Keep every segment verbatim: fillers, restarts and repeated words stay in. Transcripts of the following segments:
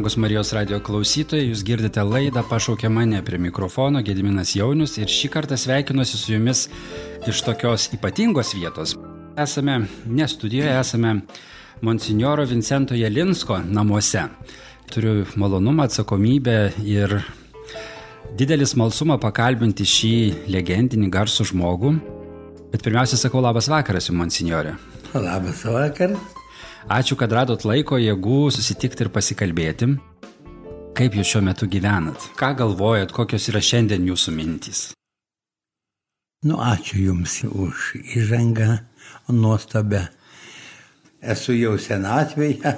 Brangus Marijos radio klausytojai, jūs girdite laidą Pašaukė mane, prie mikrofono Gediminas Jaunius ir šį kartą sveikinuosi su jumis iš tokios ypatingos vietos. Esame ne studijoje, esame monsinjoro Vincento Jelinsko namuose. Turiu malonumą, atsakomybę ir didelį smalsumą pakalbinti šį legendinį garsų žmogų. Bet pirmiausia, sakau labas vakaras jums, monsinjore. Labas vakaras. Ačiū, kad radot laiko, jėgų susitikti ir pasikalbėti. Kaip jūs šiuo metu gyvenat? Ką galvojat, kokios yra šiandien jūsų mintys? Nu, ačiū Jums už įžangą nuostabę. Esu jau senatvėje,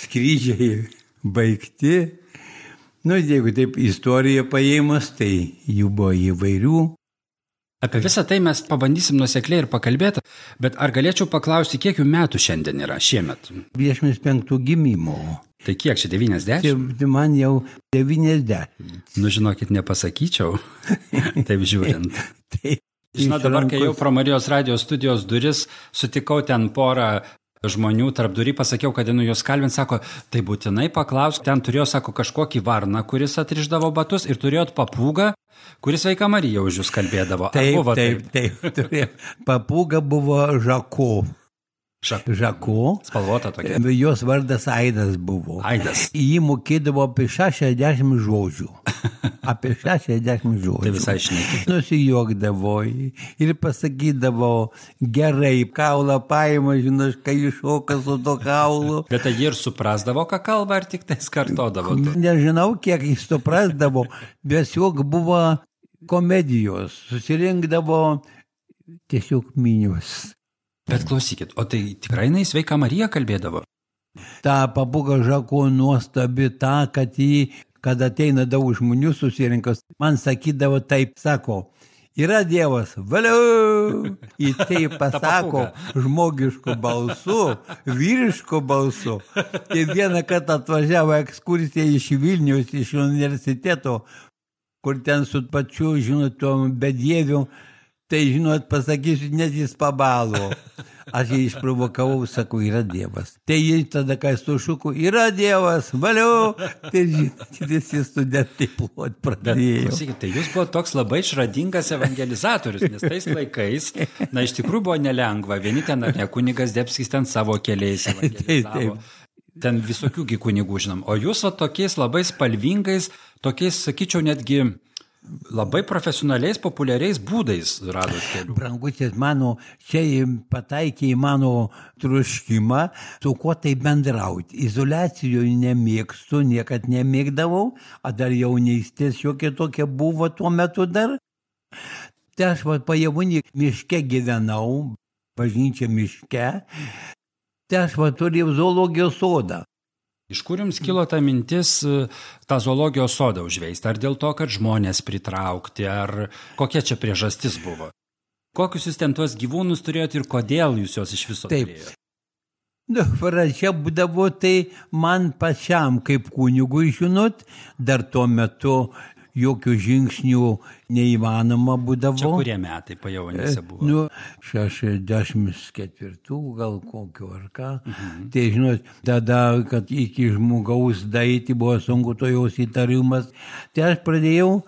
skrydžiai baigti. Nu, jeigu taip istoriją paėmus, tai jų buvo įvairių. Apie visą tai mes pabandysim nuosekliai ir pakalbėti, bet ar galėčiau paklausti, kiek jų metų šiandien yra šiemet? dvidešimt penktų gimimo. Tai kiek čia, devyniasdešimt? Tai man jau devyniasdešimt. Nu, žinokit, nepasakyčiau, taip žiūrint. Tai, Žinau, dabar, kai jau pro Marijos radio studijos duris, sutikau ten porą žmonių tarp durį, pasakiau, kad nu jos kalbint, sako, tai būtinai paklausk, ten turėjo, sako, kažkokį varną, kuris atrišdavo batus ir turėjot papūgą, kuris Sveika Marija už jūs kalbėdavo. Taip, taip, taip, taip, turėjo. Papūga buvo Žako. Žak. Žako. Spalvota tokia. Jos vardas Aidas buvo. Aidas. Jį mokėdavo apie šešiasdešimt žodžių. Apie šešiasdešimt žodžių. Tai visai šnekė. Nusijuokdavo ir pasakydavo, gerai, kaulą paima, žinai, kai iššoka su to kaulu. Bet tai jie ir suprasdavo, ką kalba, ar tik tai skartodavo? Nežinau, kiek jis suprasdavo, bet tiesiog buvo komedijos, susirinkdavo tiesiog minios. Bet klausykit, o tai tikrai jinai Sveika Marija kalbėdavo? Ta papūga Žako nuostabi ta, kad jį, kad ateina daug žmonių susirinkas, man sakydavo taip, sako, yra Dievas, valiau! Į tai pasako žmogišku balsu, vyrišku balsu. Ir vieną kartą atvažiavo ekskursija iš Vilniaus, iš universiteto, kur ten su pačiu, žinot, tom bedieviu, tai, žinot, pasakysiu, net jis pabalo. Aš jį išprovokavau, sakau, yra Dievas. Tai jis tada, kai sušuko, yra Dievas, valiau. Tai, žinot, visi studentai plot pradėjo. Bet, tai jūs buvo toks labai išradingas evangelizatorius, nes tais laikais, na, iš tikrųjų buvo nelengva. Vieni ten, ar ne, kunigas Debskis ten savo keliais evangelizavo. Ten visokių kunigų žinom. O jūs va tokiais labai spalvingais, tokiais, sakyčiau, netgi labai profesionaliais, populiariais būdais radot kelių. Brangutis, mano, čia pataikė į mano troškimą, su kuo tai bendrauti. Izoliacijoje nemėgstu, niekad nemėgdavau, o dar jaunystės šiokia tokia buvo tuo metu dar. Tai aš va pajavūnį miške gyvenau, bažnyčia miške, tai aš va turėjau zoologijos sodą. Iš kur jums kilo ta mintis tą zoologijos sodą užveisti? Ar dėl to, kad žmonės pritraukti, ar kokia čia priežastis buvo? Kokius jūs ten tuos gyvūnus turėjot ir kodėl jūs juos iš viso turėjote? Nu, pradžia būdavo tai man pačiam kaip kunigui, žinot, dar tuo metu jokių žingsnių neįmanoma būdavo. Čia kurie metai pajaunėse buvo? Nu, šešiasdešimt ketvirtų gal kokio ar ką. Mhm. Tai, žinot, tada, kad iki žmogaus daeiti buvo sunku to jos įtarimas. Tai aš pradėjau,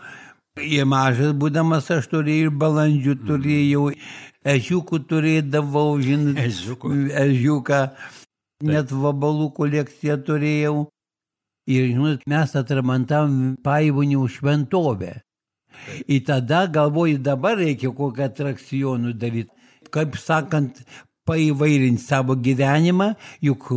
jie mažas būdamas, aš turėjau ir balandžių, turėjau, ežiukų turėdavau, žinot, Ežiukų. ežiuką, net vabalų kolekciją turėjau. Ir, žinot, mes atramantavom Paivonių šventovę. Ir tada galvoju, dabar reikia kokią atrakcionų daryti. Kaip sakant, paįvairinti savo gyvenimą, juk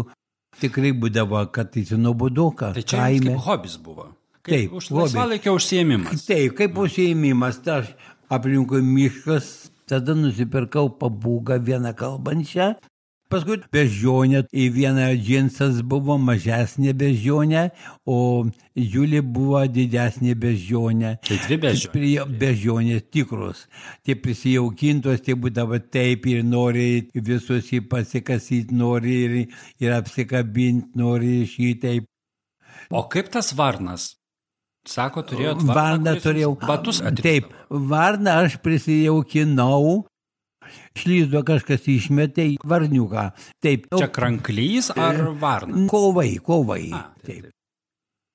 tikrai būdavo, kad tai nuobodoka. Tai čia jums kaip hobis buvo? Kaip Taip, už laisvalaikio užsiėmimas? Taip, kaip užsiėmimas. Tai aš aplinkui miškas, tada nusipirkau papūgą vieną kalbančią. Paskui beždžionė, į vieną džinsas buvo mažesnė beždžionė, o Žiulė buvo didesnė beždžionė. Tai dvi beždžionės? Beždžionės tikros. Tie prisijaukintos, tie būdavo taip ir nori visus jį pasikasyti, nori ir, ir apsikabinti, nori šitaip. O kaip tas varnas? Sako, turėjot varną, varną turėjau. Batus atrišdavo. Taip, varną aš prisijaukinau. Šlyzdo kažkas išmetė į varniuką. Taip. Čia kranklys ar varna? Kovai, kovai. A, taip, taip. taip.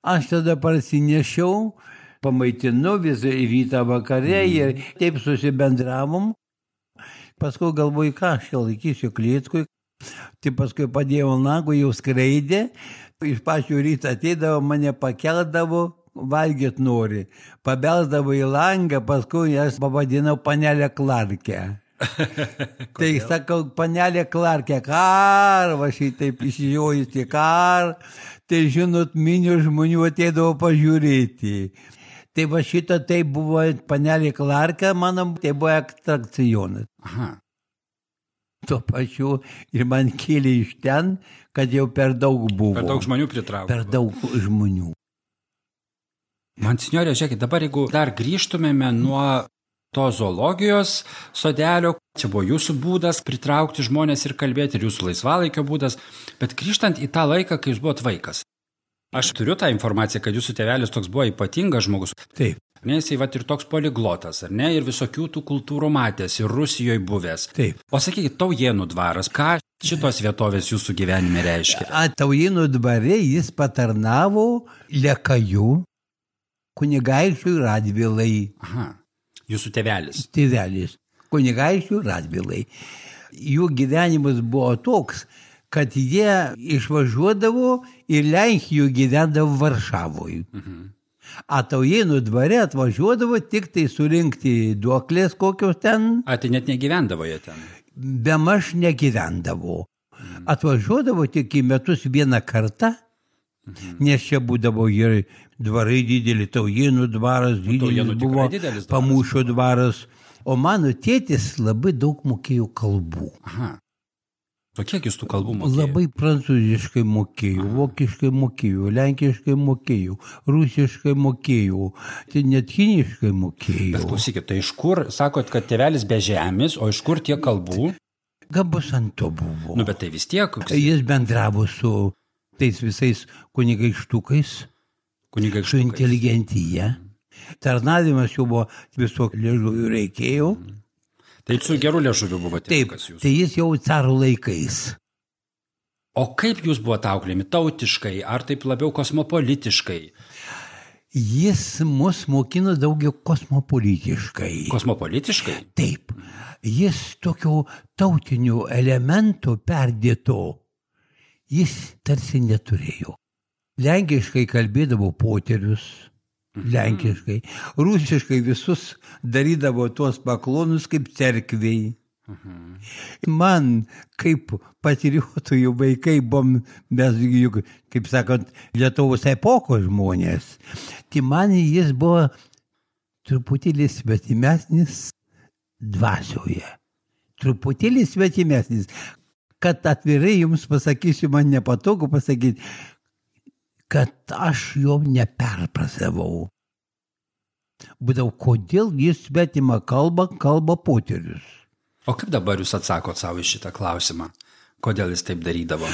Aš tada parsinešiau, pamaitinu visą rytą vakare ir taip susibendravom. Paskui galvoju, ką aš čia laikysiu klėtkui. Tai paskui padėjau nagų, jau skraidė. Iš pačių ryto ateidavo, mane pakeldavo, valgyt nori. Pabelsdavo į langą, paskui aš pavadinau panelę Klarkę. Tai sakau, panelė Klarkė, kar, va šitaip išžiūrėjusi, kar, tai žinot, minių žmonių ateidavo pažiūrėti. Tai va šito tai buvo panelė Klarkė, mano, tai buvo atrakcionas. Aha. Tuo pačiu ir man kėlė iš ten, kad jau per daug buvo. Per daug žmonių pritraukė. Per daug žmonių. Man, senjorė, žiūrėkit, dabar jeigu dar grįžtumėme nuo to zoologijos sodelio, čia buvo jūsų būdas pritraukti žmonės ir kalbėti, ir jūsų laisvalaikio būdas, bet grįžtant į tą laiką, kai jūs buvot vaikas. Aš turiu tą informaciją, kad jūsų tėvelis toks buvo ypatingas žmogus. Taip. Ne, jisai vat ir toks poliglotas, ar ne, ir visokių tų kultūrų matęs, ir Rusijoje buvęs. Taip. O sakykit, Taujėnų dvaras, ką šitos vietovės jūsų gyvenime reiškia? A, Taujėnų dvare jis patarnavo Lekajų, kunigaikščiui Radvilai. Aha, jūsų tėvelis. Tėvelis, kunigaikščiui Radvilai. Jų gyvenimas buvo toks, kad jie išvažiuodavo ir Lenkijoje gyvendavo Varšavoje. Mhm. A Taujėnų dvare atvažiuodavo tik tai surinkti duoklės kokios ten. A, tai net negyvendavo jie ten? Bemaž negyvendavo. Mhm. Atvažiuodavo tik į metus vieną kartą, mhm. nes čia būdavo ir dvarai dideli, Taujėnų dvaras didelis buvo, didelis Pamūšio dvaras. O mano tėtis labai daug mokėjo kalbų. Aha. O kiek jūs tų kalbų mokėjo? Labai prancūziškai mokėjau, vokiškai mokėjau, lenkiškai mokėjau, rusiškai mokėjau, tai net kiniškai mokėjau. Bet klausykit, tai iš kur, sakot, kad tėvelis be žemės, o iš kur tiek kalbų? Gabus ant to buvo. Nu, bet tai vis tiek. Jis bendravo su tais visais kunigaikštukais, kunigaikštukais. Su inteligentyje. Tarnavimas jau buvo visokių liežuvių reikėjo. Tai su geru liežuviu buvo tėvukas jūsų. Taip, tai jis jau caro laikais. O kaip jūs buvote auklėjami? Tautiškai, ar taip labiau kosmopolitiškai? Jis mus mokino daugiau kosmopolitiškai. Kosmopolitiškai? Taip. Jis tokių tautinių elementų perdėto, jis tarsi neturėjo. Lenkiškai kalbėdavo poterius. Lenkiškai. Rusiškai visus darydavo tuos paklonus kaip cerkviai. Mhm. Man, kaip patriotųjų vaikai, buvom, mes, kaip sakant, Lietuvos epokos žmonės. Tai man jis buvo truputėlį svetimesnis dvasioje. Truputėlį svetimesnis. Kad atvirai jums pasakysiu, man nepatogu pasakyti, kad aš jo neperprasavau. Būdavo, kodėl jis svetimą kalbą kalba poterius. O kaip dabar jūs atsakot savo iš šitą klausimą? Kodėl jis taip darydavo?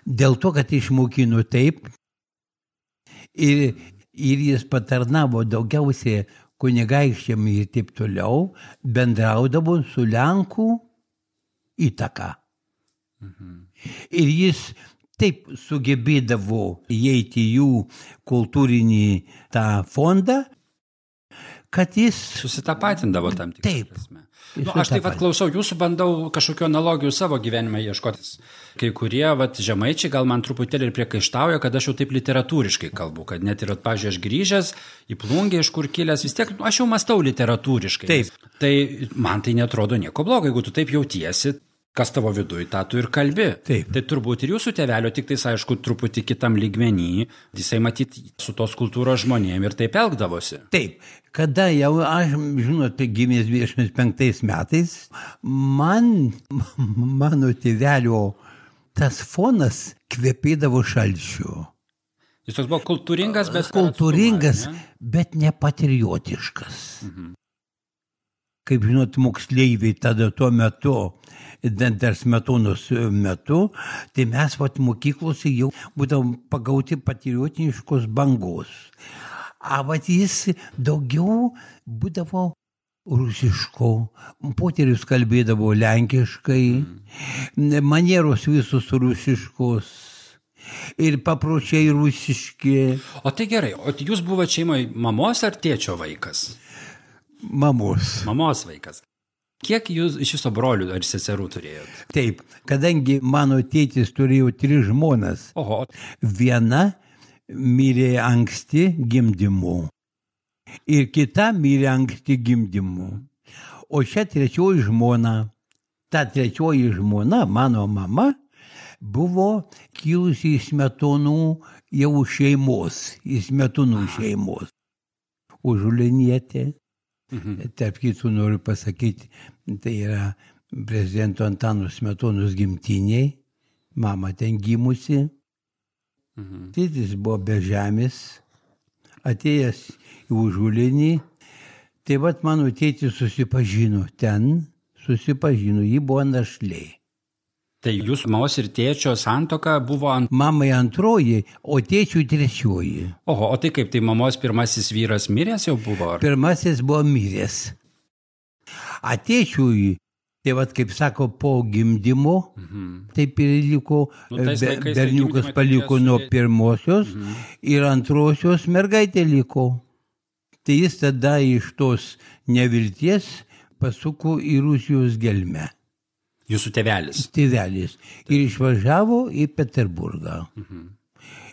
Dėl to, kad išmokino taip ir, ir jis patarnavo daugiausiai kunigaikščiam ir taip toliau, bendraudavo su Lenkų įtaka. Mhm. Ir jis taip sugebėdavo įeiti jų kultūrinį tą fondą, kad jis susitapatindavo tam tikrą taip, prasme. Nu, aš taip pat klausau, jūsų bandau kažkokių analogijų savo gyvenime ieškotis. Kai kurie vat, žemaičiai gal man truputėlį ir priekaištauja, kad aš jau taip literatūriškai kalbu, kad net ir, pavyzdžiui, aš grįžęs į Plungę, iš kur kilęs, vis tiek nu, aš jau mąstau literatūriškai. Taip. Tai man tai netrodo nieko blogo, jeigu tu taip jautiesi. Kas tavo viduje, tą tu ir kalbi. Taip. Tai turbūt ir jūsų tėvelio, tik tais, aišku, truputį kitam lygmenį, jisai matyti su tos kultūros žmonėm ir taip elgdavosi. Taip, kada jau aš, žinot, gimęs dvidešimt penktais metais, man, mano tėvelio tas fonas kvepėdavo šalčiu. Jis toks buvo kultūringas, bet... Kultūringas, atstumą, ne? Bet nepatriotiškas. Mhm. Kaip žinot, moksleiviai tada tuo metu, dar Smetonos metu, tai mes vat mokyklose jau būdavom pagauti patriotiniškos bangos. A vat jis daugiau būdavo rusiško, poterius kalbėdavo lenkiškai, manieros visus rusiškos. Ir papročiai rusiški. O tai gerai, o jūs buvote šeimoje mamos ar tėčio vaikas? Mamos. Mamos vaikas. Kiek jūs iš viso brolių ar seserų turėjot? Taip, kadangi mano tėtis turėjo tris žmonas. Oho. Viena mirė anksti gimdymu ir kita mirė anksti gimdymu. O šią trečioji žmona, ta trečioji žmona, mano mama, buvo kilusi iš Smetonų jau šeimos, iš Smetonų šeimos. Užulinietė. Mhm. Tarp kitų noriu pasakyti, tai yra prezidento Antano Smetonos gimtiniai, mama ten gimusi. Mhm. Tėtis buvo be žemės, atėjęs į Užulinį. Tai vat mano tėtis susipažino ten, susipažino, ji buvo našlė. Tai jūsų mamos ir tėčio santuoka buvo ant... Mamai antroji, o tėčiui trečioji. Oho, o tai kaip, tai mamos pirmasis vyras miręs jau buvo? Ar... Pirmasis buvo miręs. A tėčiui, tai vat kaip sako, po gimdymo, mhm. taip ir liko, nu, be, berniukas tai paliko nuo pirmosios mhm. ir antrosios mergaitė liko. Tai jis tada iš tos nevilties pasuko į Rusijos gelmę. Jūsų tėvelis. Tėvelis. Ir išvažiavo į Peterburgą. Mhm.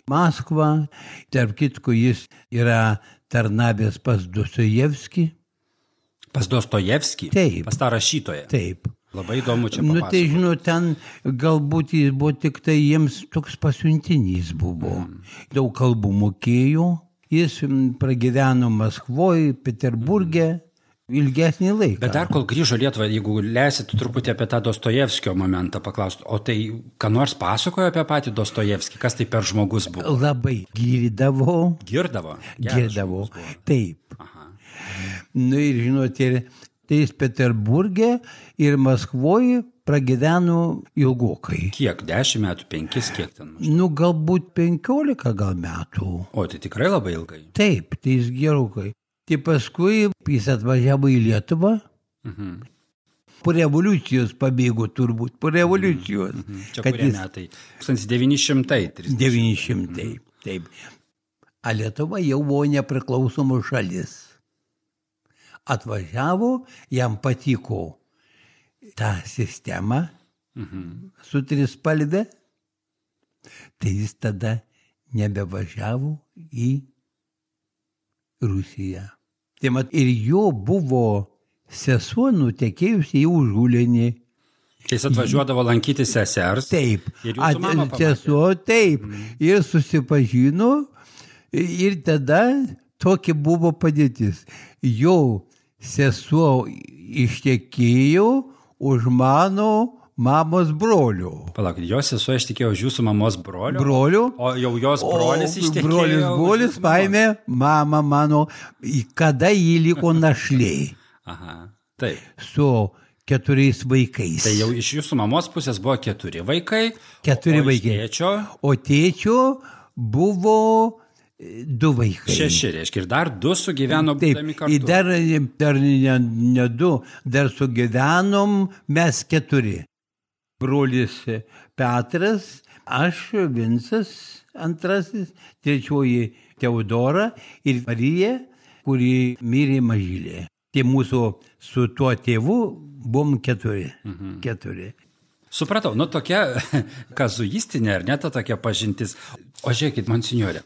Maskvą, tarp kitko jis yra tarnavęs pas Dostojevskį. Pas Dostojevskį? Taip. Pas tą rašytoją? Taip. Labai įdomu čia papasakoti. Nu tai žinau, ten galbūt jis buvo tik tai jiems toks pasiuntinys buvo. Mhm. Daug kalbų mokėjo. Jis pragyveno Maskvoje, Peterburge. Mhm. Ilgesnį laiką. Bet dar kol grįžo Lietuvą, jeigu leisit truputį apie tą Dostojevskio momentą paklausti, o tai ką nors pasakojo apie patį Dostojevskį, kas tai per žmogus buvo? Labai girdavo. Girdavo? Girdavo, taip. Aha. Nu ir žinot, ir tai jis Peterburge ir Maskvoje pragyveno ilgokai. Kiek? Dešimt metų, penkis, kiek ten? Nu galbūt penkiolika gal metų. O tai tikrai labai ilgai? Taip, tai jis gerokai. Tai paskui jis atvažiavo į Lietuvą. Mhm. Po revoliucijos pabėgo turbūt, po revoliucijos. Mhm. Čia kurie jis... metai? tūkstantis devyni šimtai trisdešimt. devyni šimtai, mhm. taip. A Lietuva jau buvo nepriklausoma šalis. Atvažiavo, jam patiko ta sistema mhm. su trispalve. Tai jis tada nebevažiavo į Rusiją. Tai mat, ir jo buvo sesuo nutekėjusi į Užulinį. Tai jis atvažiuodavo lankyti sesers. Taip. Ir jūsų mama pamatė. Sesuo, taip. Mm. Ir susipažino. Ir tada tokia buvo padėtis. Jo sesuo ištekėjo už mano mamos brolio. Palauk, jos sesuo ištekėjo už jūsų mamos brolio? Brolio. O jau jos brolis ištekėjo? Brolis, brolis paėmė mamą mano, kada jį liko našlė. Aha, taip. Su keturiais vaikais. Tai jau iš jūsų mamos pusės buvo keturi vaikai. Keturi o vaikai. Tėčio? O tėčio buvo du vaikai. Šeši, reiškia, ir dar du sugyveno būdami kartu. Taip, dar, dar ne, ne du, dar sugyvenom mes keturi. Brolis Petras, aš, Vincas antrasis, trečioji Teodora ir Marija, kuri mirė mažylė. Tai mūsų su tuo tėvu buvom keturi. Mhm. keturi. Supratau, nu tokia kazuistinė, ar ne ta tokia pažintis. O žiūrėkit, monsinjorė,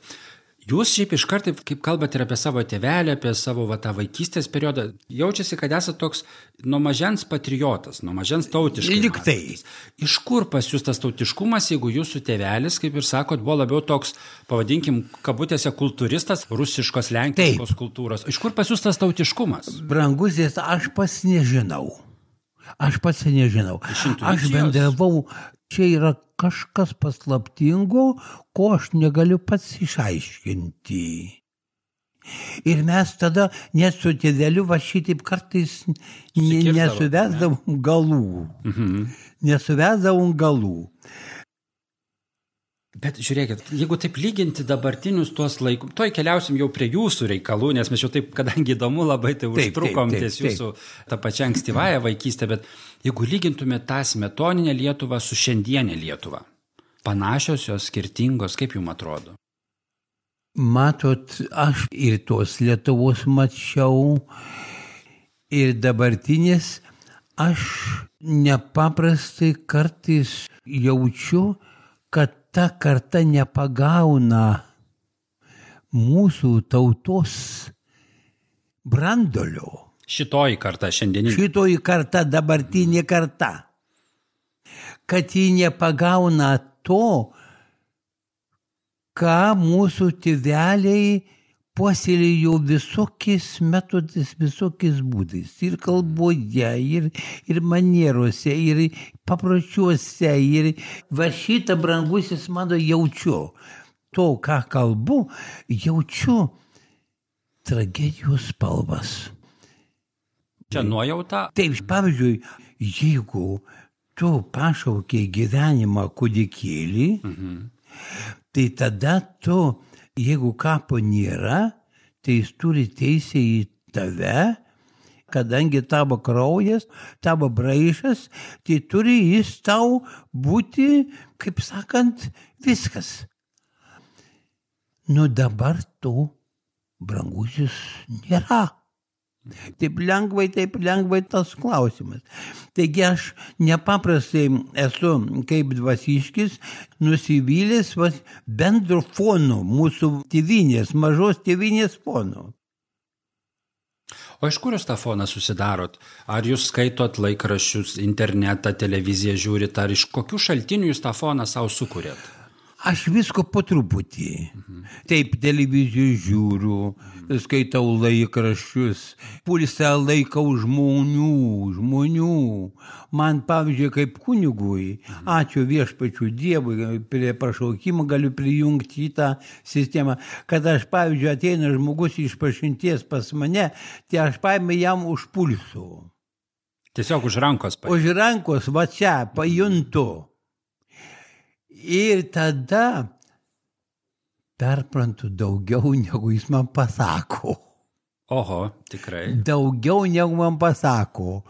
jūs šiaip iš karto, kaip kalbate ir apie savo tėvelį, apie savo va, tą vaikystės periodą, jaučiasi, kad esate toks nuo mažens patriotas, nuo mažens tautiškas. Liktai. Iš kur pas jūs tas tautiškumas, jeigu jūsų tėvelis, kaip ir sakot, buvo labiau toks, pavadinkim, kabutėse kultūristas, rusiškos, lenkiškos Taip. kultūros. Iš kur pas jūs tas tautiškumas? Brangusis, aš pats nežinau. Aš pats nežinau. Aš bendravau, čia yra kažkas paslaptingo, ko aš negaliu pats išaiškinti. Ir mes tada net su tėveliu va šitaip kartais nesuvesdavom galų. Mhm. Nesuvesdavom galų. Bet žiūrėkit, jeigu taip lyginti dabartinius tuos laikus, toj keliausim jau prie jūsų reikalų, nes mes jau taip, kadangi įdomu labai, tai užtrukom ties jūsų tą pačią ankstyvąją vaikystę, bet jeigu lygintume tą smetoninę Lietuvą su šiandienė Lietuva, Panašios jos, skirtingos, kaip jums atrodo? Matot, aš ir tos Lietuvos mačiau, ir dabartinės, aš nepaprastai kartais jaučiu, kad ta karta nepagauna mūsų tautos brandolio. Šitoji karta šiandieninė. Šitoji karta, dabartinė karta. Kad ji nepagauna to, ką mūsų tėveliai puoselėjo visokiais metodais, visokiais būdais. Ir kalboje, ir, ir manierose, ir papročiuose. Ir va šitą, brangusis mano, jaučiu. To, ką kalbu, jaučiu tragedijos spalvas. Čia nuojauta? Taip, pavyzdžiui, jeigu tu pašaukiai gyvenimą kūdikėlį, mhm. tai tada tu, jeigu kapo nėra, tai jis turi teisę į tave, kadangi tavo kraujas, tavo braižas, tai turi jis tau būti, kaip sakant, viskas. Nu dabar to, brangusis, nėra. Taip lengvai, taip lengvai tas klausimas. Taigi aš nepaprastai esu kaip dvasiškis nusivylęs bendro fono, mūsų tėvynės, mažos tėvynės fono. O iš kur jūs tą foną susidarot? Ar jūs skaitot laikraščius, internetą, televiziją žiūrit, ar iš kokių šaltinių jūs tą foną savo sukūrėt? Aš visko po truputį. Mhm. Taip, televizijų žiūriu, skaitau laikraščius, pulsą laikau žmonių, žmonių. Man, pavyzdžiui, kaip kunigui, mhm. ačiū viešpačiu Dievui, prie pašaukimo galiu prijungti į tą sistemą, kad aš, pavyzdžiui, ateina žmogus iš pažinties pas mane, tai aš paėmė jam už pulsų. Tiesiog už rankos paėmė. Už rankos, va čia, pajuntu. Ir tada perprantu daugiau, negu jis man pasako. Oho, tikrai. Daugiau, negu man pasako.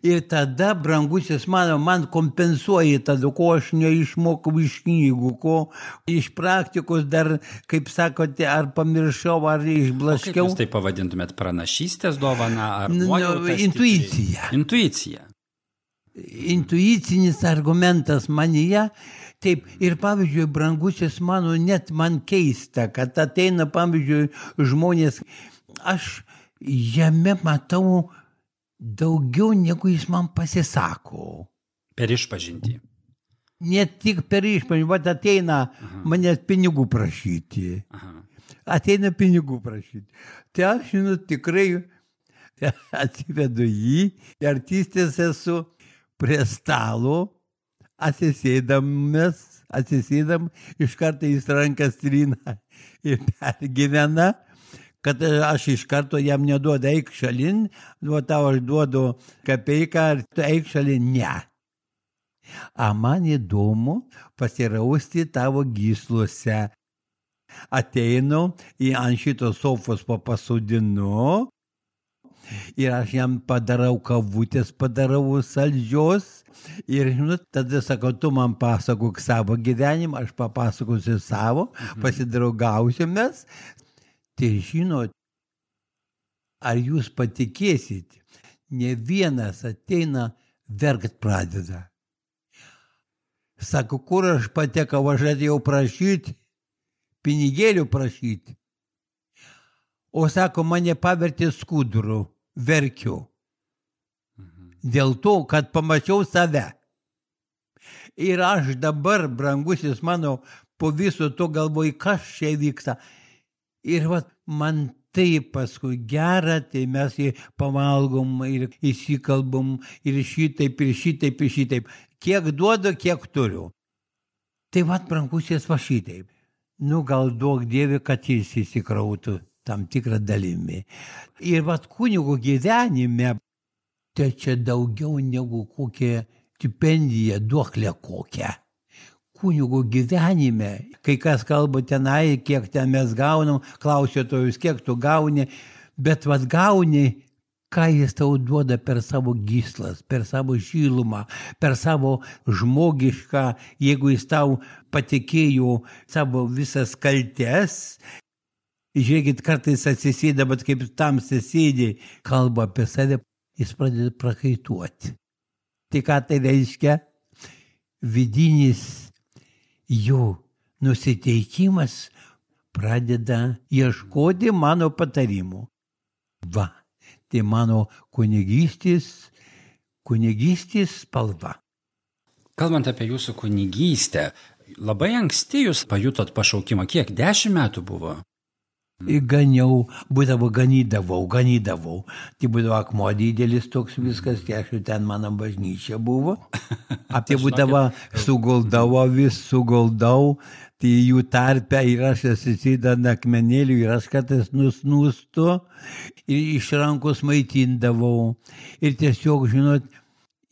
Ir tada, brangusis mano, man kompensuoja tada, ko aš neišmokau iš knygų, ko iš praktikos dar, kaip sakote, ar pamiršau, ar išblaškiau. O kaip jūs tai pavadintumėt, pranašystės dovana, ar no, intuicija. Intuicija. Intuicinis argumentas manyje. Taip, ir pavyzdžiui, brangusis mano, net man keista, kad ateina, pavyzdžiui, žmonės, aš jame matau daugiau, negu jis man pasisako. Per išpažintį. Ne tik per išpažintį, bet ateina Aha. manęs pinigų prašyti. Aha. Ateina pinigų prašyti. Tai aš, žinau, tikrai atsivedu jį, artistės esu prie stalo, atsisėdamas, atsisėdam, iš karto jis rankas trina ir pergyvena, kad aš iš karto jam neduodu eik šalin, nuo tau aš duodu kapeiką, ar tu eik šalin, ne. A man įdomu pasirausti tavo gysluose. Ateinu, į ant šito sofos papasodinu, ir aš jam padarau kavutės, padarau saldžios. Ir, žinot, tada sakau, tu man pasakok savo gyvenimą, aš papasakosiu savo, mhm. pasidraugausimės. Tai žinot, ar jūs patikėsit, ne vienas ateina verkt pradeda. Sako, kur aš patekau, aš atėjau prašyti, pinigėlių prašyti. O sako, mane pavertė skuduru, verkiu. Dėl to, kad pamačiau save. Ir aš dabar, brangusis mano, po viso to galvoju, kas čia vyksta. Ir vat, man taip paskui gera, tai mes jį pavalgom ir įsikalbam ir šitaip, ir šitaip, ir šitaip. Kiek duodu, kiek turiu. Tai vat, brangusis, va šitaip. Nu, gal duok Dieve, kad jis įsikrautų tam tikrą dalimi. Ir vat, kunigo gyvenime, tai čia daugiau negu kokia stipendija, duoklė kokia. Kunigo gyvenime, kai kas kalba tenai, kiek ten mes gaunam, klausia to jūs, kiek tu gauni, bet vat gauni, ką jis tau duoda per savo gyslas, per savo šilumą, per savo žmogišką, jeigu jis tau patikėjo savo visas kaltes. Žiūrėkit, kartais atsisėda, bet kaip tamsiai sėdi, kalba apie save, jis pradeda prakaituoti. Tai ką tai reiškia? Vidinis jo nusiteikimas pradeda ieškoti mano patarimų. Va, tai mano kunigystės, kunigystės spalva. Kalbant apie jūsų kunigystę, labai anksti jūs pajutot pašaukimą. Kiek? Dešimt metų buvo? Ganiau, būdavo ganydavau, ganydavau. Tai būdavo akmuo didelis toks viskas, tai aš ten mano bažnyčia buvo. Apie būdavo suguldavo vis, suguldau, tai jų tarpe ir aš atsisėdant akmenėlių ir aš kartais nusnūstu ir iš rankos maitindavau. Ir tiesiog, žinot,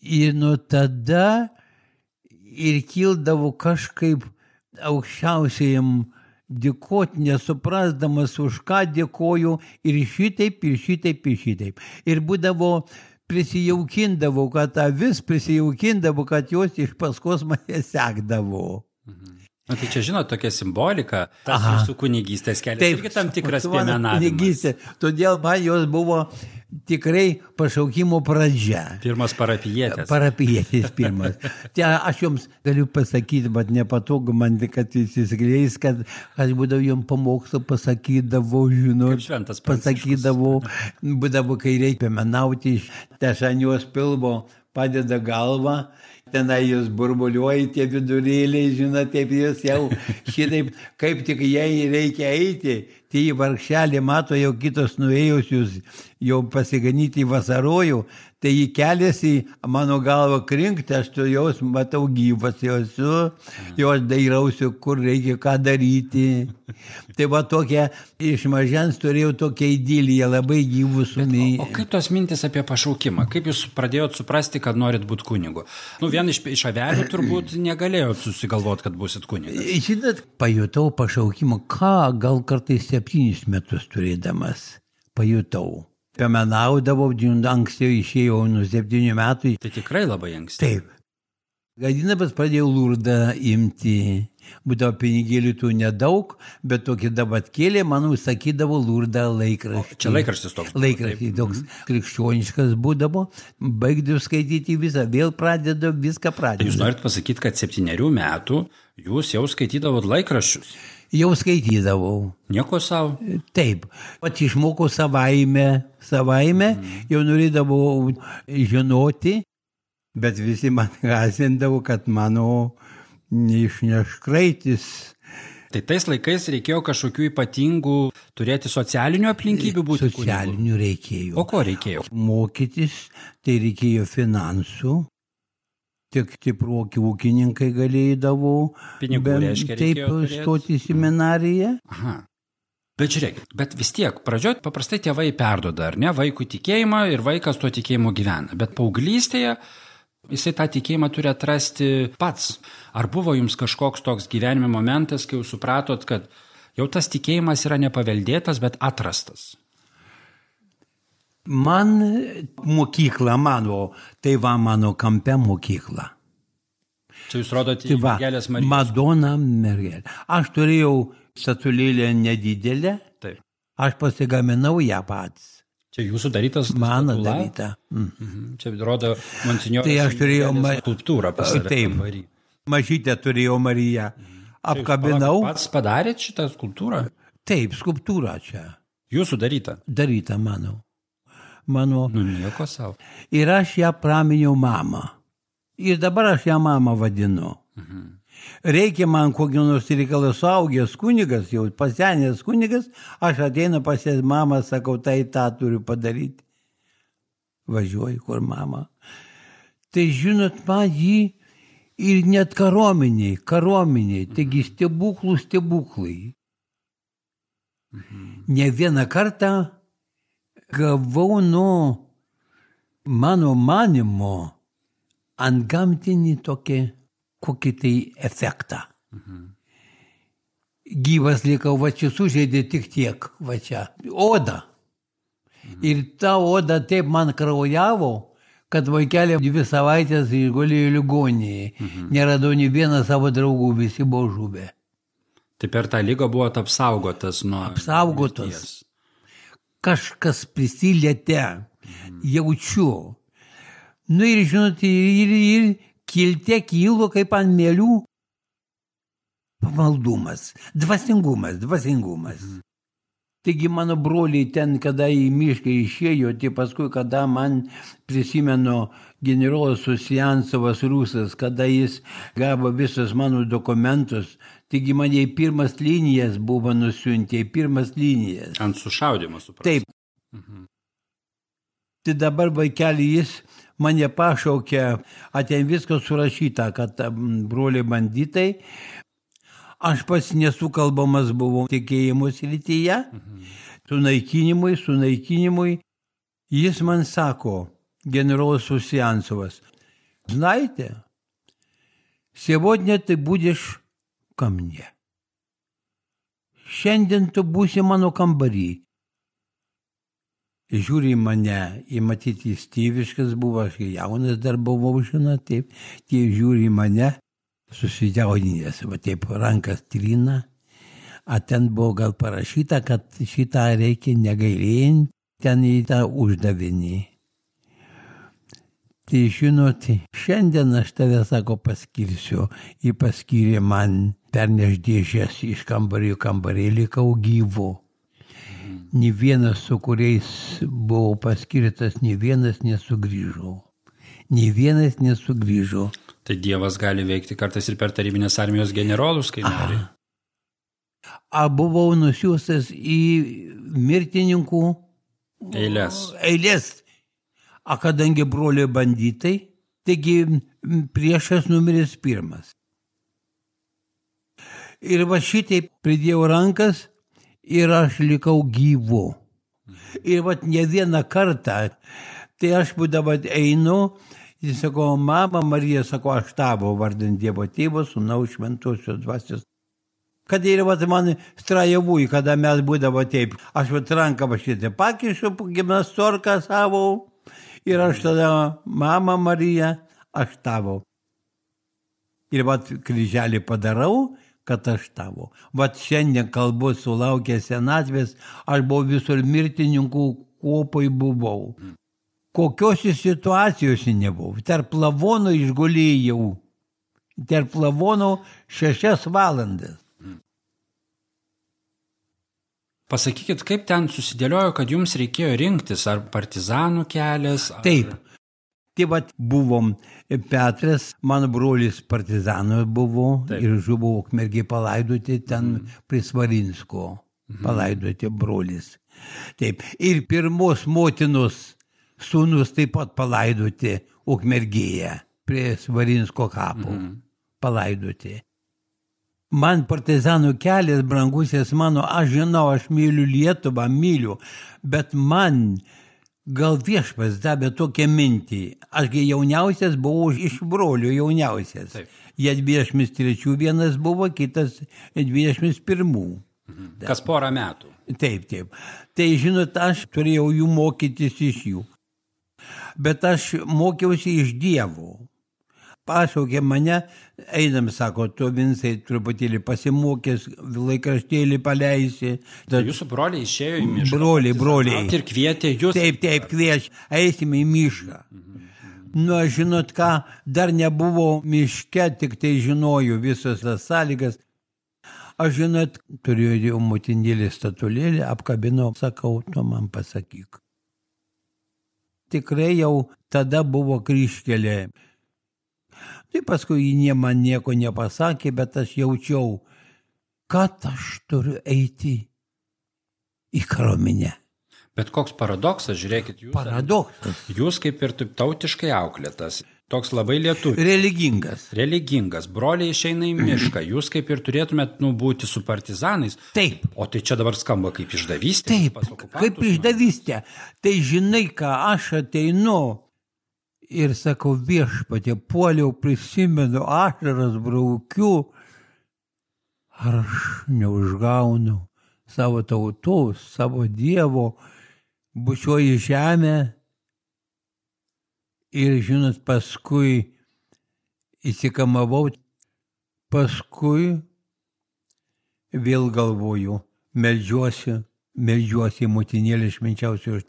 ir nuo tada ir kildavo kažkaip aukščiausiajam dėkot, nesuprasdamas, už ką dėkoju, ir šitaip, ir šitaip, ir šitaip. Ir būdavo, prisijaukindavo, kad avis prisijaukindavo, kad jos iš paskos mane sekdavo. Mhm. Na, tai čia, žinot, tokia simbolika, tas jūsų kunigystės kelias. Taip, irgi tam tikras piemenavimas. Todėl man jos buvo tikrai pašaukimo pradžia. Pirmas parapijietės. Parapijietės pirmas. Tai aš jums galiu pasakyti, bet nepatogu man, kad įsiskleis, kad aš būdavau jums pamokslą pasakydavau, žinot. Kaip šventas pasakydavau, būdavo, kai reikia piemenauti, tai aš ant jos pilvo padeda galvą. Tenai jūs burbuliuoja tie vidurėliai, žinot, taip jūs jau šitaip, kaip tik jai reikia eiti, tai į vargšelį mato jau kitos nuėjusius, jau pasiganyti vasarojų, tai jį keliasi, mano galva krinkti, aš tu jos matau gyvas, jos, jau aš dairausiu, kur reikia ką daryti. Tai va tokia, iš mažens turėjau tokią idiliją, labai gyvų sumį. O, o kaip tos mintis apie pašaukimą? Kaip jūs pradėjot suprasti, kad norit būti kunigu? Nu, vien iš, iš avelių turbūt negalėjot susigalvoti, kad būsit kunigas. Žinot, pajutau pašaukimą, ką gal kartais septynis metus turėdamas pajutau. Piemenaudavau, ankstiau išėjau nuo septynių metų. Tai tikrai labai anksti. Taip. Gadinamas pradėjau Lurdą imti. Būdavo pinigėlių tų nedaug, bet tokį dabatkėlį, manau, sakydavo Lurdą laikraštį. O, čia laikraštis toks. Laikraštis toks krikščioniškas būdavo. Baigdavau skaityti visą, vėl pradedu, viską pradedu. Jūs norit pasakyti, kad septynerių metų jūs jau skaitydavot laikraščius? Jau skaitydavau. Nieko savo? Taip. Pat išmokau savaime, savaime, mm. jau norėdavau žinoti, bet visi man gąsdindavo, kad mano neišneš kraitis. Tai tais laikais reikėjo kažkokių ypatingų turėti socialinių aplinkybių būti kunigu? Socialinių reikėjo. O ko reikėjo? Mokytis, tai reikėjo finansų. Tik stiproki ūkininkai galėdavo. Pinigų reiškia reikėjo turėti. Taip, stoti į seminariją. Aha. Bet žiūrėkit, bet vis tiek, pradžioj paprastai tėvai perduoda, ar ne, vaikų tikėjimą ir vaikas tuo tikėjimu gyvena. Bet paauglystėje jisai tą tikėjimą turi atrasti pats. Ar buvo jums kažkoks toks gyvenime momentas, kai jūs supratot, kad jau tas tikėjimas yra nepaveldėtas, bet atrastas? Man mokykla mano, tai va mano kampe mokykla. Čia jūs rodote į va, mergelės Marijos. Madona mergelė. Aš turėjau statulėlę nedidelę, taip. Aš pasigaminau ją pats. Čia jūsų darytas mano statula? Daryta. Mm. Mhm. Čia rodo monsinjoras. Tai aš turėjau ma... skulptūrą pas save. Taip, mažytę turėjau Mariją. Mhm. Apkabinau. Jūs pats padarėt šitą skulptūrą? Taip, skulptūra čia. Jūsų daryta? Daryta mano. Mano. Nu, nieko savo. Ir aš ją praminiau mamą. Ir dabar aš ją mamą vadinu. Mhm. Reikia man kokio nors reikalo suaugęs kunigas, jau pasenęs kunigas, aš ateinu pas jas mamą, sakau, tai tą turiu padaryti. Važiuoju, kur mama. Tai žinot, man jį ir net karuomeniai, karuomeniai, taigi stebuklų stebuklai. Mhm. Ne vieną kartą gavau nuo mano manimo antgamtinį tokį, kokį tai efektą. Mhm. Gyvas likau, va čia sužeidė tik tiek, va čia, oda. Ir ta oda taip man kraujavo, kad vaikelė dvi savaitės išgulėjo ligoninėje. Mhm. Neradau nei vieną savo draugų, visi buvo žuvę. Tai per tą lygą buvo apsaugotas nuo... Apsaugotas. Mirties. Kažkas prisilietė, mhm. jaučiu. Nu ir žinot, ir, ir kiltė kilo kaip ant mėlių. Pamaldumas, dvasingumas, dvasingumas. Mhm. Taigi mano broliai ten, kada į mišką išėjo, tai paskui, kada man prisimenu generolas Usiancovas Rusas, kada jis gavo visus mano dokumentus, taigi mane į pirmas linijas buvo nusiuntę, į pirmas linijas. Ant sušaudimo, supras. Taip. Mhm. Tai dabar vaikelį jis mane pašaukė, aten viskas surašyta, kad broliai banditai. Aš pats nesukalbamas buvau tikėjimo srityje, mhm. sunaikinimui, sunaikinimui. Jis man sako, generolas Usiancovas, знаете, сегодня ты будешь ко мне. Šiandien tu būsi mano kambarį. Žiūri mane, į matyti jis tėviškas buvo, aš jaunas dar buvau, žinot, taip, tie žiūri mane. Susijaudinęs, va taip rankas trina, a ten buvo gal parašyta, kad šitą reikia negailėjant, ten į tą uždavinį. Tai žinot, šiandien aš tave, sako, paskirsiu, jį paskyrė man perneš dėžės iš kambario kambarėlį, likau gyvu. Nė vienas, su kuriais buvau paskirtas, nė vienas nesugrįžo. Nė vienas nesugrįžo. Tai Dievas gali veikti kartais ir per tarybinės armijos generolus, kai nori. A buvau nusiųstas į mirtininkų eilės. eilės. A kadangi broliai banditai, taigi priešas numeris pirmas. Ir va šitai pridėjau rankas ir aš likau gyvu. Ir va ne vieną kartą, tai aš būdavo einu, jis sako, mama Marija, sako, aš tavo vardant Dievo Tėvo, Sūnaus Šventosios Dvasios. Kad ir vat man strajavui, kada mes būdavo taip, aš vat ranką va šitą pakišu, gimnastorką savo, ir aš tada, mama Marija, aš tavo. Ir vat kryželį padarau, kad aš tavo. Vat šiandien kalbu sulaukęs senatvės, aš buvau visur mirtininkų kopoj buvau. Kokiose situacijose nebuvau. Tarp lavonų išgulėjau. Tarp lavonų šešias valandas. Pasakykit, kaip ten susidėliojo, kad jums reikėjo rinktis, ar partizanų kelias? Ar... Taip. Tai vat buvom Petras, mano brolis partizanų buvo. Taip. Ir žuvo Ukmergėj palaidoti ten mm. prie Svarinsko. Mm. Palaidoti brolis. Taip. Ir pirmos motinos sūnus taip pat palaidoti Ukmergėje, prie Svarinsko kapo, mm. palaidoti. Man partizanų kelias, brangusis mano, aš žinau, aš myliu Lietuvą, myliu, bet man gal viešpas davė tokią mintį. Ašgi jauniausias buvau iš brolių jauniausias. Taip. Jie dvidešimt trečių vienas buvo, kitas dvidešimt pirmų. Mhm. Kas porą metų. Taip, taip. Tai žinot, aš turėjau jų mokytis iš jų. Bet aš mokiausi iš Dievo. Pašaukė mane, einam, sako, tu Vincai truputėlį pasimokęs, laikraštėlį paleisi. Tai jūsų broliai išėjo į mišką? Broliai, broliai. Ir kvietė jūs? Taip, taip, kviečia, eisime į mišką. Mhm. Nu, žinot ką, dar nebuvo miške, tik tai žinojau visas tas sąlygas. Aš, žinot, turėjau motinėlį statulėlį, apkabinau, sakau, tu man pasakyk. Tikrai jau tada buvo kryžkelė. Tai paskui jie man nieko nepasakė, bet aš jaučiau, kad aš turiu eiti į kariuomenę. Bet koks paradoksas, žiūrėkit, jūs, paradoksas. Jūs kaip ir taip tautiškai auklėtas, toks labai lietuvis. Religingas. Religingas. Broliai išeina į mišką, jūs kaip ir turėtumėt nu, būti su partizanais. Taip. O tai čia dabar skamba kaip išdavystė. Taip, kaip išdavystė. Tai žinai, ką aš ateinu ir sakau, viešpatie, puoliau, prisimenu, ašaras braukiu, ar aš neužgaunu savo tautos, savo Dievo, bučioji žemė ir, žinot, paskui įsikamavau, paskui vėl galvoju, meldžiuosi, meldžiuosi motinėlį švenčiausios.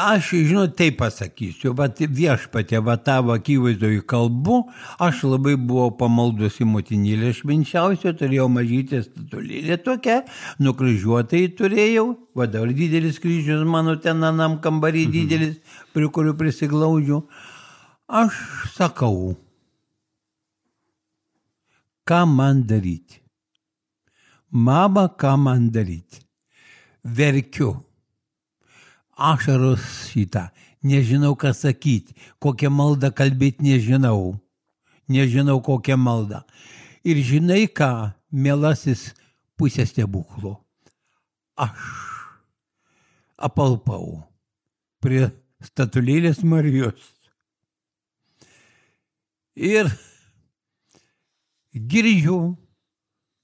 Aš, žinot, taip pasakysiu, bet viešpatė, va tavo akivaizdoj kalbu, aš labai buvau pamaldus į motinėlį švenčiausio, turėjau mažytę statulėlę tokią, nukryžiuotai turėjau, va dabar didelis kryžius mano ten anam kambarį didelis, prie kurių prisiglaudžiu. Aš sakau, ką man daryti? Mama, ką man daryti? Verkiu. Ašaros šitą. Nežinau, ką sakyti. Kokią maldą kalbėti nežinau. Nežinau, kokią maldą. Ir žinai ką, mielasis, pusė stebuklo. Aš apalpau prie statulėlės Marijos. Ir girdžiu,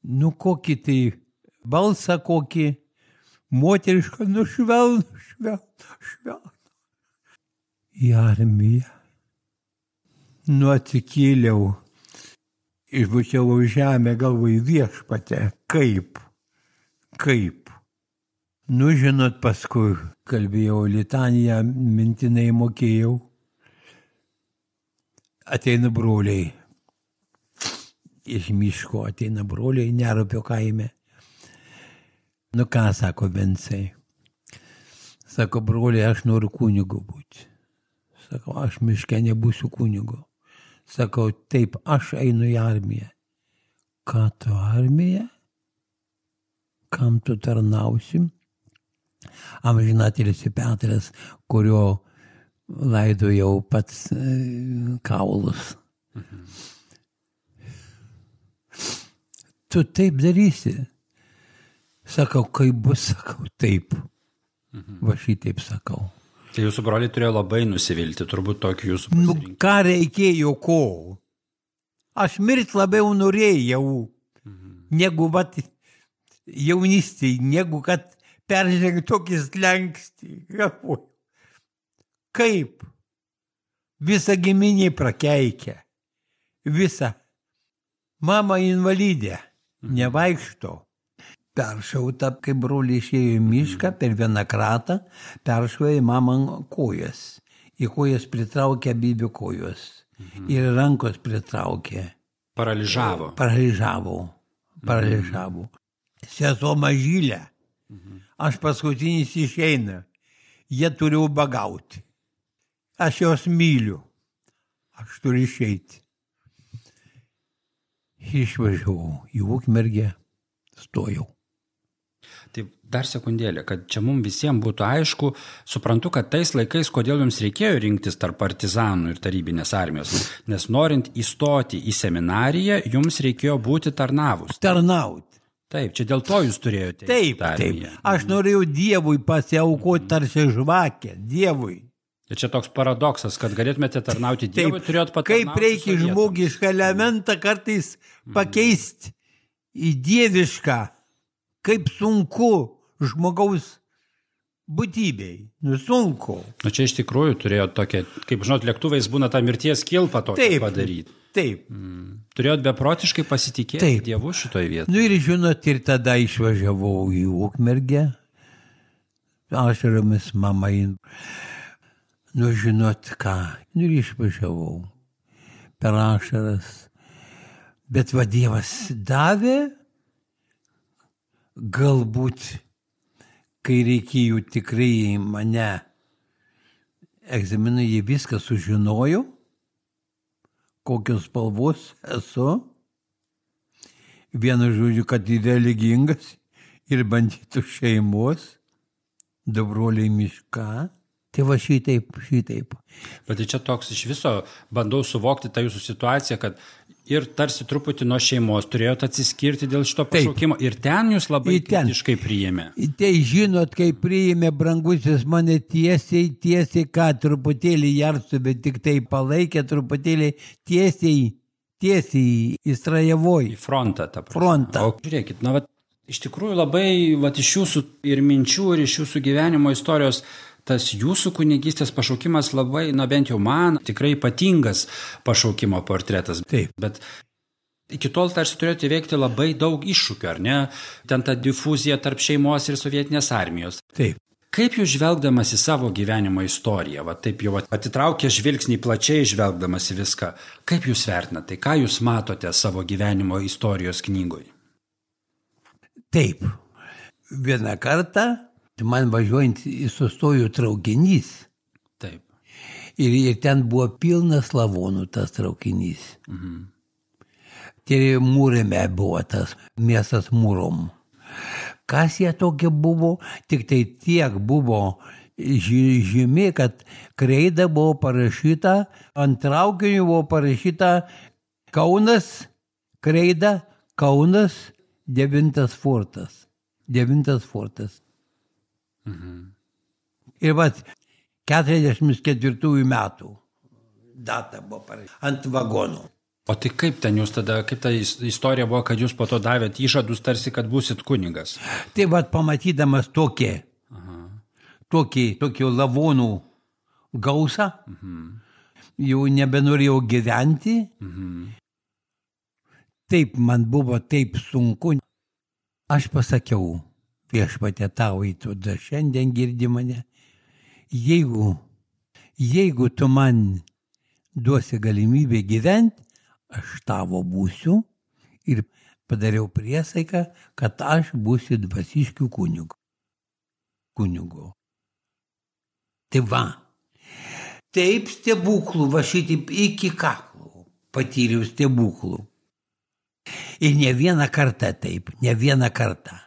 nu kokį tai balsą kokį, moterišką, nu švelnų, švelnų, švelnų. Į armiją. Nu atsikėliau, išbučiavau žemę, galvoju, viešpate, kaip, kaip. Nu žinot, paskui kalbėjau litaniją, mintinai mokėjau. Ateina broliai. Iš miško ateina broliai, Nerupio kaime. Nu ką, sako Vincai. Sako, broliai, aš noriu kunigu būti. Sakau, aš miške nebūsiu kunigu. Sakau, taip, aš einu į armiją. Ką tu armija? Kam tu tarnausi? Amžinatilsį Petras, kurio laidojau pats e, kaulus. Mhm. Tu taip darysi. Sakau, kaip bus, sakau, taip. Mhm. Va šitaip sakau. Tai jūsų broliai turėjo labai nusivilti, turbūt tokį jūsų Nu, pasirinkimą. ką reikėjo ko? Aš mirt labiau norėjau, mhm. negu vat jaunystėj, negu kad peržengti tokį slenkstį. Galvoju. Kaip? Visa giminė prakeikia. Visa. Mama invalidė. Mhm. Nevaikšto. Peršauta, kai broliai išėjo į mišką, per vieną kratą, peršauja į mamą kojas. Į kojas pritraukė abidvi kojos. Mhm. Ir rankos pritraukė. Paralyžavo. Paralyžavo. Paralyžavo. Mhm. Sesuo mažylė. Mhm. Aš paskutinis išeina. Jie turi ubagauti. Aš jos myliu. Aš turiu išeiti. Išvažiavau į Ukmergę, stojau. Tai dar sekundėlę, kad čia mums visiems būtų aišku, suprantu, kad tais laikais, kodėl jums reikėjo rinktis tarp partizanų ir tarybinės armijos, nes norint įstoti į seminariją, jums reikėjo būti tarnavus. Tarnauti. Taip, čia dėl to jūs turėjote. Taip, taip. Aš norėjau Dievui pasiaukoti tarsi žvakę, Dievui. Ir čia toks paradoksas, kad galėtumėte tarnauti Dievui, turėjot patarnauti. Kaip reikia žmogišką elementą kartais pakeisti į dievišką, kaip sunku žmogaus būtybei. Nu sunku. Nu čia iš tikrųjų turėjot tokią, kaip žinot, lėktuvais būna tą mirties kilpą tokią taip, padaryti. Taip. Mm. Turėjot beprotiškai pasitikėti taip. Dievu šitoje vietoje. Nu ir žinot, ir tada išvažiavau į Ukmergę. Ašaromis mama in... Nu žinot ką. Nu ir išvažiavau. Per ašaras. Bet va Dievas davė. Galbūt, kai reikėjo tikrai mane egzaminai, jie viską sužinojo, kokios spalvos esu. Vienu žodžiu, kad religingas ir bandytų šeimos, du broliai mišką. Tai va šitaip, šitaip. Bet tai čia toks iš viso bandau suvokti tą jūsų situaciją, kad ir tarsi truputį nuo šeimos turėjote atsiskirti dėl šito pašaukimo. Taip. Ir ten jūs labai kritiškai priėmė. Tai žinot, kai priėmė brangusis mane tiesiai, tiesiai, ką truputėlį jarsų, bet tik tai palaikė truputėlį tiesiai, tiesiai į Strajevoj. Į frontą, tą prasme. Frontą. O žiūrėkit, na, vat, iš tikrųjų labai vat, iš jūsų ir minčių, ir iš jūsų gyvenimo istorijos tas jūsų kunigystės pašaukimas labai, na bent jau man, tikrai ypatingas pašaukimo portretas. Taip. Bet iki tol tarsi turėjote įveikti labai daug iššūkių, ar ne? Ten ta difuzija tarp šeimos ir sovietinės armijos. Taip. Kaip jūs žvelgdamas į savo gyvenimo istoriją, va taip jau atitraukė žvilgsnį plačiai žvelgdamas į viską, kaip jūs vertinate, ką jūs matote savo gyvenimo istorijos knygoje? Taip. Vieną kartą man važiuojant į sustojų traukinys. Taip. Ir, ir ten buvo pilnas lavonų tas traukinys. Mhm. Tai Mūrėme buvo tas miestas Mūrom. Kas jie tokie buvo, tik tai tiek buvo žymi, kad kreida buvo parašyta, ant traukinių buvo parašyta Kaunas, kreida, Kaunas, devintas fortas. Devintas fortas. Mhm. Ir vat keturiasdešimt ketvirtųjų metų data buvo parašyta ant vagonų. O tai kaip ten jūs tada, kaip ta istorija buvo, kad jūs po to davėt įžadus tarsi, kad būsit kunigas? Tai vat pamatydamas tokį, Aha. tokį, tokį lavonų gausą, Mhm. jau nebenorėjau gyventi. Mhm. Taip man buvo taip sunku. Aš pasakiau, Viešpatie tau įtuda, šiandien girdi mane. Jeigu, jeigu tu man duosi galimybę gyventi, aš tavo būsiu ir padariau priesaiką, kad aš būsiu dvasiškių kunigu. Kunigu. Tai va, taip stebuklų, va šitaip iki kaklų patyriau stebuklų. Ir ne vieną kartą taip, ne vieną kartą.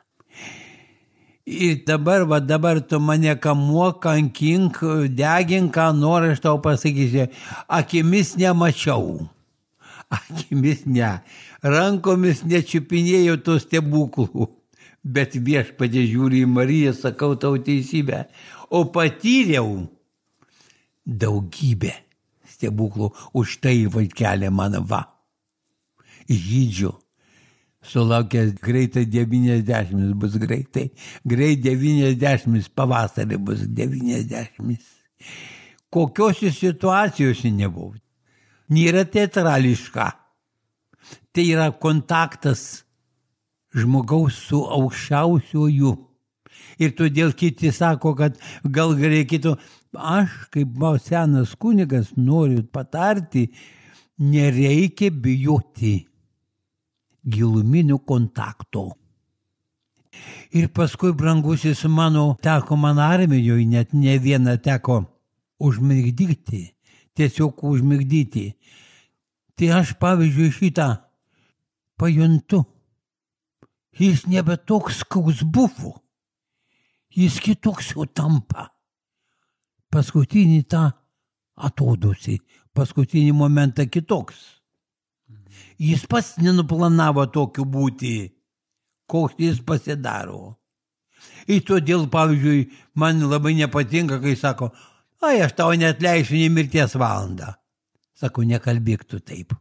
Ir dabar, va dabar tu mane kamuok, kankink, degink, ką nori, aš tau pasakysiu, akimis nemačiau. Akimis ne. Rankomis nečiupinėjau tų stebuklų. Bet Viešpatie žiūri į Mariją, sakau tau teisybę. O patyriau daugybę stebuklų. Už tai vaikelė man va. Žydžiu. Sulaukęs greitai devyniasdešimt bus greitai. Greit devyniasdešimt, pavasarį bus devyniasdešimt. Kokiose situacijose nebuvau. Nėra teatrališka. Tai yra kontaktas žmogaus su aukščiausiuoju. Ir todėl kiti sako, kad gal reikėtų, aš kaip senas kunigas noriu patarti, nereikia bijoti giluminių kontaktų. Ir paskui, brangusis mano, teko man armijoje, net ne vieną teko užmigdyti, tiesiog užmigdyti. Tai aš, pavyzdžiui, šitą pajuntu. Jis nebe toks, koks buvo. Jis kitoks jau tampa. Paskutinį tą atodusį, paskutinį momentą kitoks. Jis pats nenuplanavo tokiu būti, koks jis pasidaro. Ir todėl, pavyzdžiui, man labai nepatinka, kai sako, ai, aš tau neatleisiu nei mirties valandą. Sako, nekalbėk tu taip.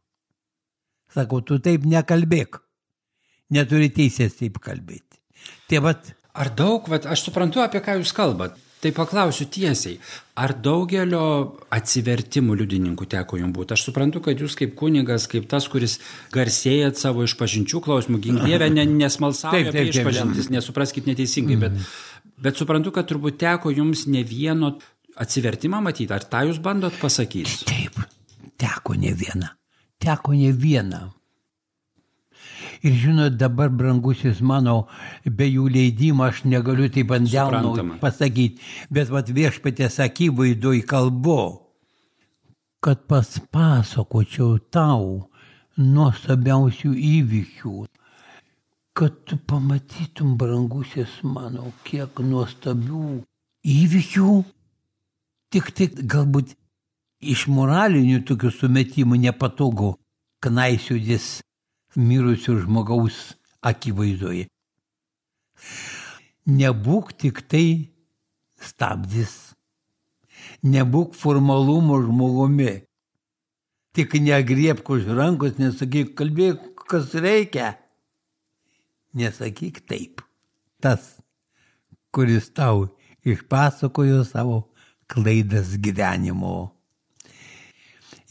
Sako, tu taip nekalbėk. Neturi teisės taip kalbėti. Tai vat. Ar daug, vat, aš suprantu, apie ką jūs kalbat. Tai paklausiu tiesiai, ar daugelio atsivertimų liudininkų teko jums būti? Aš suprantu, kad jūs kaip kunigas, kaip tas, kuris garsėjat savo išpažinčių klausimų, gink Dieve, nesmalsauja apie išpažintis, nesupraskit neteisingai, bet, bet suprantu, kad turbūt teko jums ne vieno atsivertimą matyti. Ar tą jūs bandot pasakyti? Taip, teko ne vieną. Teko ne vieną. Ir žinot, dabar, brangusis mano, be jų leidimo aš negaliu taip ant delno pasakyti, bet vat Viešpaties akivaizdoj kalbu, kad paspasakočiau tau nuostabiausių įvykių, kad tu pamatytum, brangusis mano, kiek nuostabių įvykių, tik tik galbūt iš moralinių tokių sumetimų nepatogu knaisiudis mirusio žmogaus akivaizdoje. Nebūk tik tai stabdis. Nebūk formalumo žmogumi. Tik negriebk už rankos, nesakyk, kalbėk, kas reikia. Nesakyk taip. Tas, kuris tau išpasakojo savo klaidas gyvenimo.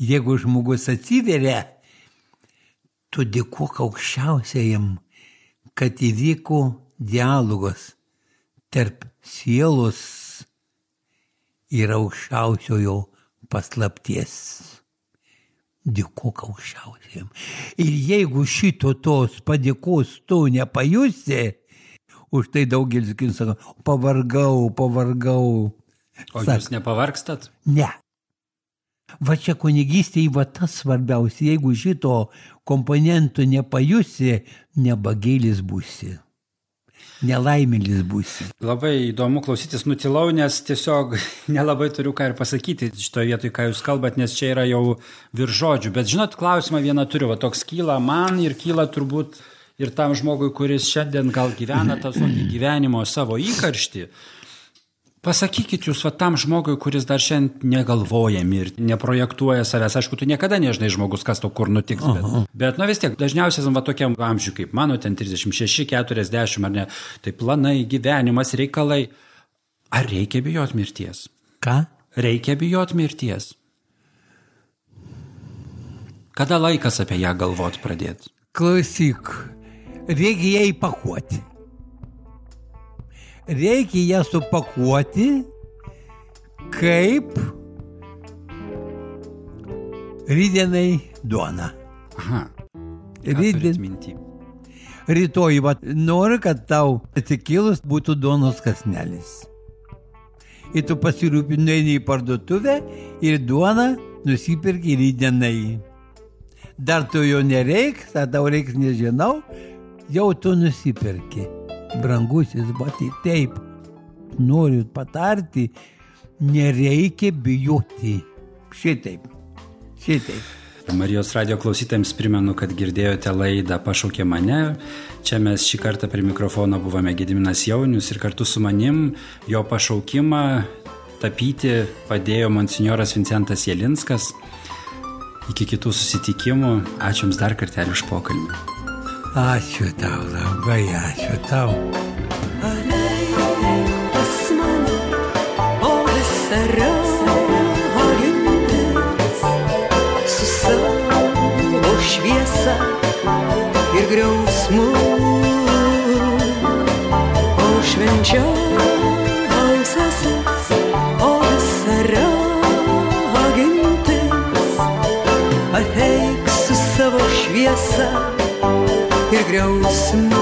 Jeigu žmogus atsiveria, tu dėkok aukščiausiajam, kad įvyko dialogas tarp sielos ir aukščiausiojo paslapties. Dėkok aukščiausiajam. Ir jeigu šito tos padėkos tu nepajusi, už tai daugelis sako, pavargau, pavargau. O Sak, jūs nepavargstat? Ne. Va čia kunigystėje va tas svarbiausia, jeigu šito komponentų nepajusi, nebagėlis būsi, nelaimėlis būsi. Labai įdomu klausytis, nutilau, nes tiesiog nelabai turiu ką ir pasakyti šitoje vietoje, ką jūs kalbat, nes čia yra jau virš žodžių. Bet žinot, klausimą vieną turiu, va toks kyla man ir kyla turbūt ir tam žmogui, kuris šiandien gal gyvena tą tokį gyvenimo savo įkarštį. Pasakykit jūs va tam žmogui, kuris dar šiandien negalvoja mirti, neprojektuoja savęs. Aišku, tu niekada nežinai žmogus, kas to kur nutiks. Bet, bet nu vis tiek, dažniausiai va tokiam amžiui kaip mano, ten trisdešimt šeši, keturiasdešimt ar ne, tai planai, gyvenimas, reikalai. Ar reikia bijot mirties? Ką? Reikia bijot mirties. Kada laikas apie ją galvot pradėti? Klausyk, reikia ją įpakuoti. Reikia ją supakuoti kaip rytdienai duona. Aha. Rytdien... Rytoj, va, noriu, kad tau atsikėlus būtų duonos kąsnelis. Ir tu pasirūpini į parduotuvę ir duoną nusipirki rytdienai. Dar tu jo nereiks, ar tau reiks nežinau, jau tu nusipirki. Brangusis, batai, taip, noriu patarti, nereikia bijoti. Šitaip, šitaip. Marijos radijo klausytojams primenu, kad girdėjote laidą Pašaukė mane. Čia mes šį kartą prie mikrofono buvome Gediminas Jaunius ir kartu su manim jo pašaukimą tapyti padėjo monsinjoras Vincentas Jelinskas. Iki kitų susitikimų. Ačiū Jums dar kartelį už pokalbį. Ačiū tau, labai ačiū tau. Ateik pas mane, o vasara gintis, su savo šviesa ir griausmu, o švenčiausiasis, o vasara gintis, ateik su savo šviesa ir griausmu.